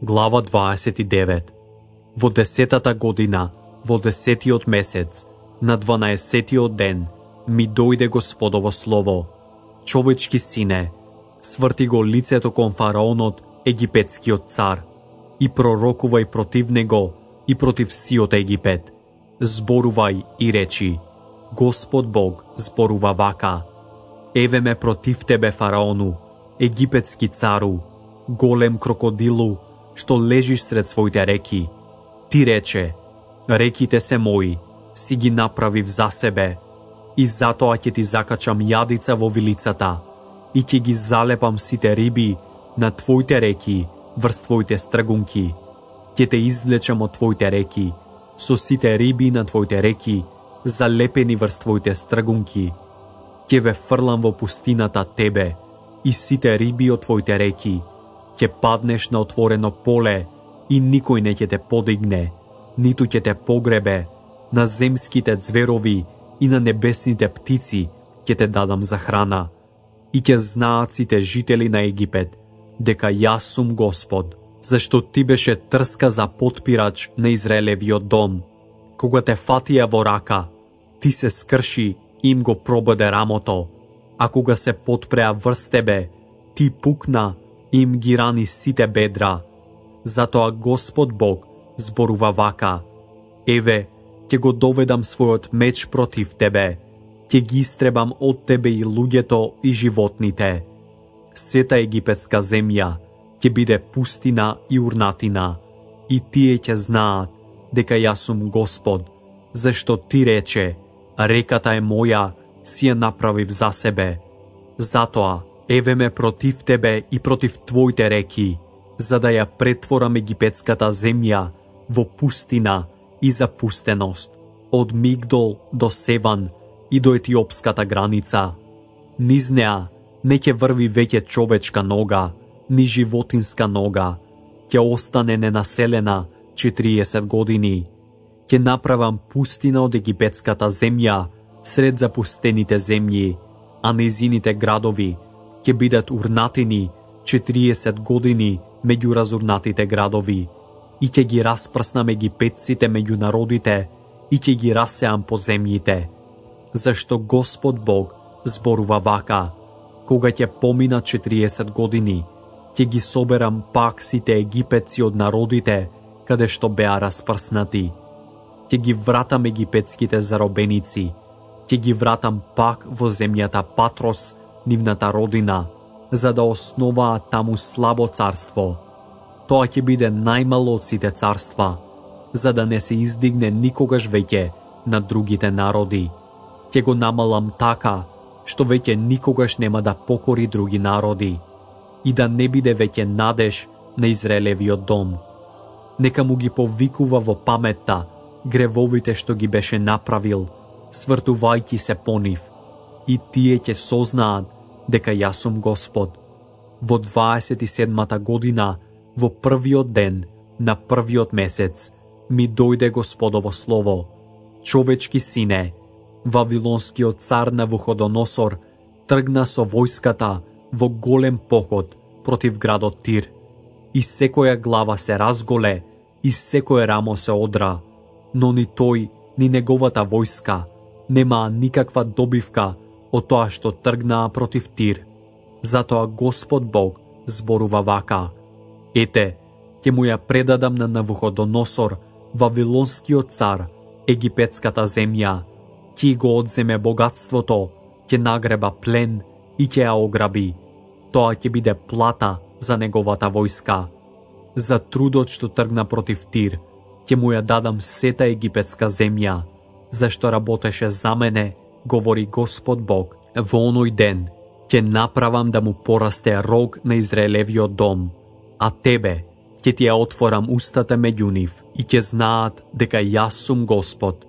Глава 29. Во 10-та година, во 10-тиот месец, на 12-тиот ден, ми дојде Господово слово: човечки сине, сврти го лицето кон фараонот, египетскиот цар, и пророкувај против него и против сиот Египет. Зборувај и речи: Господ Бог зборува вака: еве ме против тебе, фараону, египетски цару, голем крокодилу, што лежиш сред своите реки. Ти рече: реките се мои, си ги направив за себе, и затоа ќе ти закачам јадица во вилицата, и ќе ги залепам сите риби на твоите реки врз твоите стргунки. Ќе те извлечам од твоите реки, со сите риби на твоите реки, залепени врз твоите стргунки. Ќе ве фрлам во пустината тебе и сите риби од твоите реки. Ќе паднеш на отворено поле и никој не ќе те подигне, ниту ќе те погребе. На земските зверови и на небесните птици ќе те дадам за храна. И ќе знаат сите жители на Египет дека јас сум Господ, зашто ти беше трска за потпирач на Израелевиот дом. Кога те фатија во рака, ти се скрши и им го прободе рамото, а кога се потпреа врз тебе, ти пукна и им ги рани сите бедра. Затоа Господ Бог зборува вака: еве, ќе го доведам својот меч против тебе, ќе ги истребам од тебе и луѓето и животните. Сета египетска земја ќе биде пустина и урнатина, и тие ќе знаат дека јас сум Господ, зашто ти рече: реката е моја, си ја направив за себе. Затоа, еве ме против тебе и против твоите реки, за да ја претворам египетската земја во пустина и запустеност, од Мигдол до Севан и до етиопската граница. Низ неа не ќе врви веќе човечка нога, ни животинска нога. Ќе остане ненаселена 40 години. Ќе направам пустина од египетската земја сред запустените земји, а незините градови ќе бидат урнатини 40 години меѓу разурнатите градови. И ќе ги распрснам египетците меѓу народите и ќе ги расеам по земјите. Зашто Господ Бог зборува вака: кога ќе поминат 40 години, ќе ги соберам пак сите египетци од народите каде што беа распрснати. Ќе ги вратам египетските заробеници, ќе ги вратам пак во земјата Патрос, нивната родина, за да основаат таму слабо царство. Тоа ќе биде најмало од сите царства, за да не се издигне никогаш веќе на другите народи. Ќе го намалам така, што веќе никогаш нема да покори други народи, и да не биде веќе надеж на Израелевиот дом. Нека му ги повикува во паметта гревовите што ги беше направил, свртувајќи се по нив, и тие ќе сознаат дека јас сум Господ. Во 27-та година, во првиот ден на првиот месец, ми дојде Господово слово: човечки сине, Вавилонскиот цар Навуходоносор тргна со војската во голем поход против градот Тир. И секоја глава се разголе, и секое рамо се одра, но ни тој, ни неговата војска немаа никаква добивка од тоа што тргнаа против Тир. Затоа Господ Бог зборува вака: ете, ќе му ја предадам на Навуходоносор, Вавилонскиот цар, египетската земја. Ќе го одземе богатството, ќе нагреба плен и ќе ја ограби. Тоа ќе биде плата за неговата војска. За трудот што тргна против Тир, ќе му ја дадам сета египетска земја, зашто работеше за мене, говори Господ Бог. Во оној ден ќе направам да му порасте рог на Израелевиот дом, а тебе ќе ти ја отворам устата меѓу нив и ќе знаат дека јас сум Господ.